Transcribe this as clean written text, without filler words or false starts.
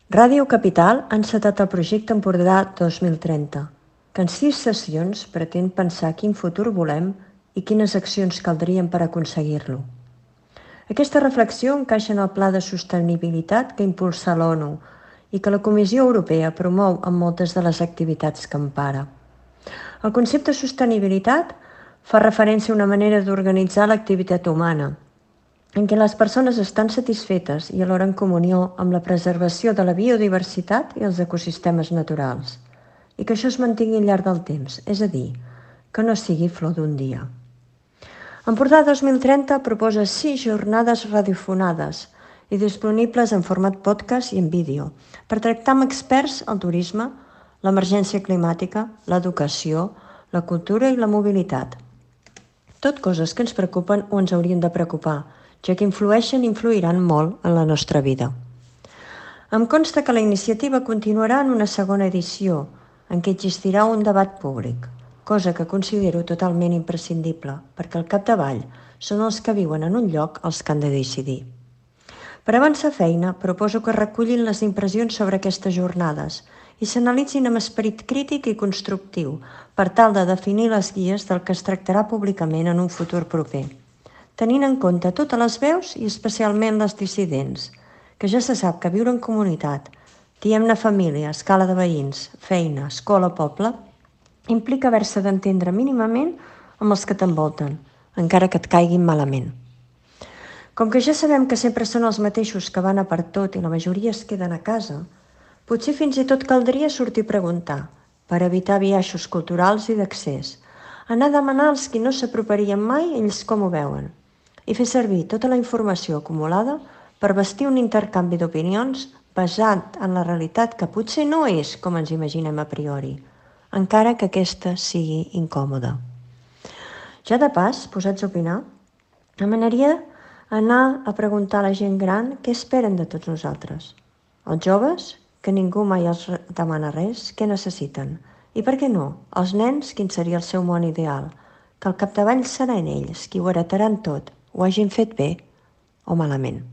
Ràdio Capital ha encetat el projecte Empordà 2030, que en 6 sessions pretén pensar quin futur volem i quines accions caldrien per aconseguir-lo. Aquesta reflexió encaixa en el Pla de Sostenibilitat que impulsa l'ONU i que la Comissió Europea promou en moltes de les activitats que empara. El concepte sostenibilitat fa referència a una manera d'organitzar l'activitat humana, en què les persones estan satisfetes i alhora en comunió amb la preservació de la biodiversitat i els ecosistemes naturals, i que això es mantingui al llarg del temps, és a dir, que no sigui flor d'un dia. Empordà 2030 proposa 6 jornades radiofonades i disponibles en format podcast i en vídeo per tractar amb experts el turisme, l'emergència climàtica, l'educació, la cultura i la mobilitat. Tot coses que ens preocupen o ens haurien de preocupar, ja que influeixen i influiran molt en la nostra vida. Em consta que la iniciativa continuarà en una segona edició, en què existirà un debat públic, cosa que considero totalment imprescindible, perquè al capdavall són els que viuen en un lloc els que han de decidir. Per avançar feina, proposo que recullin les impressions sobre aquestes jornades i s'analitzin amb esperit crític i constructiu per tal de definir les guies del que es tractarà públicament en un futur proper, tenint en compte totes les veus i especialment les dissidents, que ja se sap que viure en comunitat, diguem-ne família, escala de veïns, feina, escola, poble, implica haver-se d'entendre mínimament amb els que t'envolten, encara que et caiguin malament. Com que ja sabem que sempre són els mateixos que van a per tot i la majoria es queden a casa, potser fins i tot caldria sortir a preguntar, per evitar biaixos culturals i d'accés, anar a demanar als qui no s'aproparien mai ells com ho veuen, i fer servir tota la informació acumulada per bastir un intercanvi d'opinions basat en la realitat que potser no és com ens imaginem a priori, encara que aquesta sigui incòmoda. Ja de pas, posats a opinar, demanaria anar a preguntar a la gent gran què esperen de tots nosaltres. Els joves, que ningú mai els demana res, què necessiten? I per què no? Els nens, quin seria el seu món ideal? Que al capdavall seran ells qui ho heretaran tot, ho hagin fet bé o malament.